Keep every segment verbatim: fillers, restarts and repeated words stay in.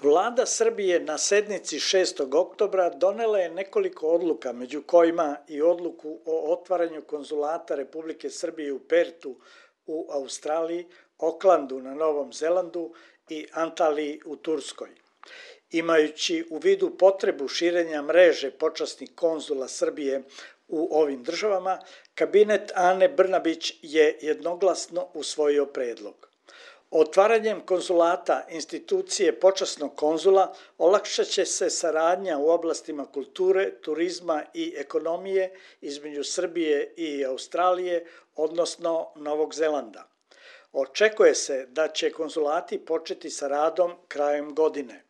Vlada Srbije na sednici šestog oktobra donela je nekoliko odluka, među kojima i odluku o otvaranju konzulata Republike Srbije u Pertu u Australiji, Oklandu na Novom Zelandu i Antaliji u Turskoj. Imajući u vidu potrebu širenja mreže počasnih konzula Srbije u ovim državama, kabinet Ane Brnabić je jednoglasno usvojio predlog. Otvaranjem konzulata institucije počasnog konzula olakšat će se saradnja u oblastima kulture, turizma i ekonomije između Srbije i Australije, odnosno Novog Zelanda. Očekuje se da će konzulati početi sa radom krajem godine.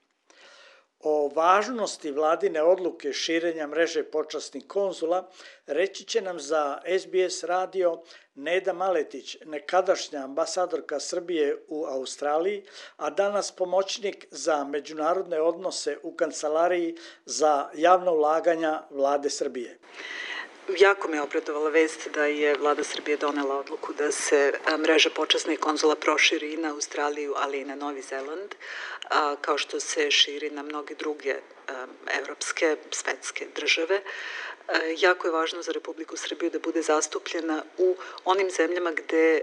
O važnosti vladine odluke širenja mreže počasnih konzula reći će nam za S B S radio Neda Maletić, nekadašnja ambasadorka Srbije u Australiji, a danas pomoćnik za međunarodne odnose u Kancelariji za javna ulaganja Vlade Srbije. Jako me obradovala vest da je Vlada Srbije donela odluku da se mreža počasnih konzula proširi i na Australiju, ali i na Novi Zeland, kao što se širi na mnoge druge evropske, svetske države. Jako je važno za Republiku Srbiju da bude zastupljena u onim zemljama gde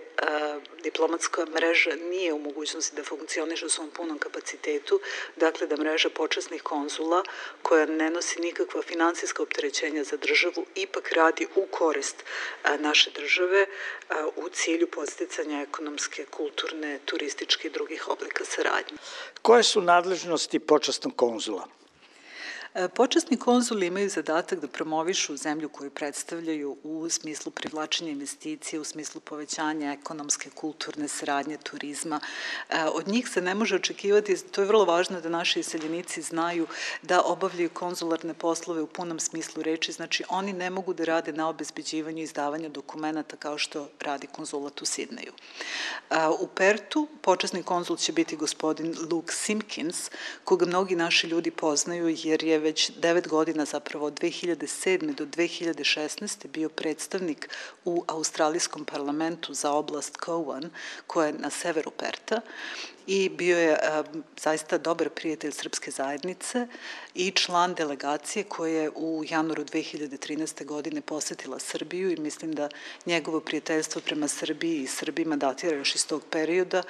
diplomatska mreža nije u mogućnosti da funkcioniše u svom punom kapacitetu, dakle da mreža počasnih konzula, koja ne nosi nikakva finansijska opterećenja za državu, ipak radi u korist naše države u cilju podsticanja ekonomske, kulturne, turističke i drugih oblika saradnje. Koje su nadležnosti počasnog konzula? Počasni konzuli imaju zadatak da promovišu zemlju koju predstavljaju u smislu privlačenja investicije, u smislu povećanja ekonomske, kulturne saradnje, turizma. Od njih se ne može očekivati, to je vrlo važno da naši iseljenici znaju da obavljaju konzularne poslove u punom smislu reči, znači oni ne mogu da rade na obezbeđivanju i izdavanju dokumenta kao što radi konzulat u Sidneju. U Pertu počasni konzul će biti gospodin Luke Simpkins, koga mnogi naši ljudi poznaju jer je već devet godina, zapravo od dve hiljade sedme do dve hiljade šesnaeste bio predstavnik u Australijskom parlamentu za oblast Cowan, koja je na severu Perta, i bio je zaista dobar prijatelj srpske zajednice i član delegacije koja je u januaru dve hiljade trinaeste. godine posetila Srbiju i mislim da njegovo prijateljstvo prema Srbiji i Srbima datira još iz tog perioda,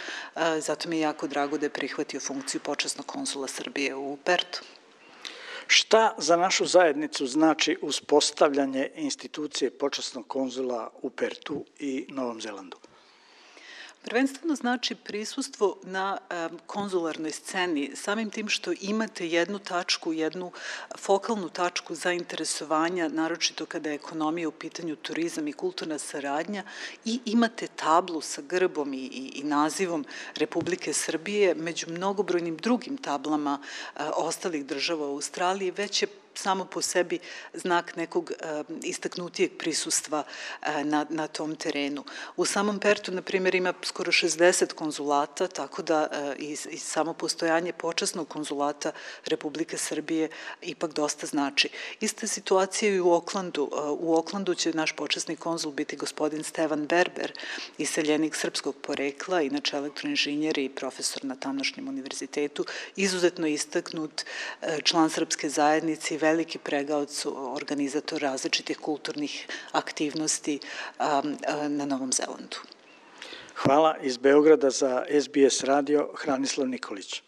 zato mi je jako drago da je prihvatio funkciju počasnog konzula Srbije u Pertu. Šta za našu zajednicu znači uspostavljanje institucije počasnog konzula u Pertu i Novom Zelandu? Prvenstveno znači prisustvo na konzularnoj sceni, samim tim što imate jednu tačku, jednu fokalnu tačku zainteresovanja, naročito kada je ekonomija u pitanju, turizam i kulturna saradnja, i imate tablu sa grbom i, i nazivom Republike Srbije među mnogobrojnim drugim tablama ostalih država u Australiji, već je samo po sebi znak nekog istaknutijeg prisustva na, na tom terenu. U samom Pertu, na primjer, ima skoro šezdeset konzulata, tako da i, i samo postojanje počasnog konzulata Republike Srbije ipak dosta znači. Ista situacija i u Oklandu. U Oklandu će naš počasni konzul biti gospodin Stevan Berber, iseljenik srpskog porekla, inače elektroinženjer i profesor na tamošnjem univerzitetu, izuzetno istaknut član srpske zajednice i veliki pregaoc, organizator različitih kulturnih aktivnosti na Novom Zelandu. Hvala iz Beograda za S B S radio, Hranislav Nikolić.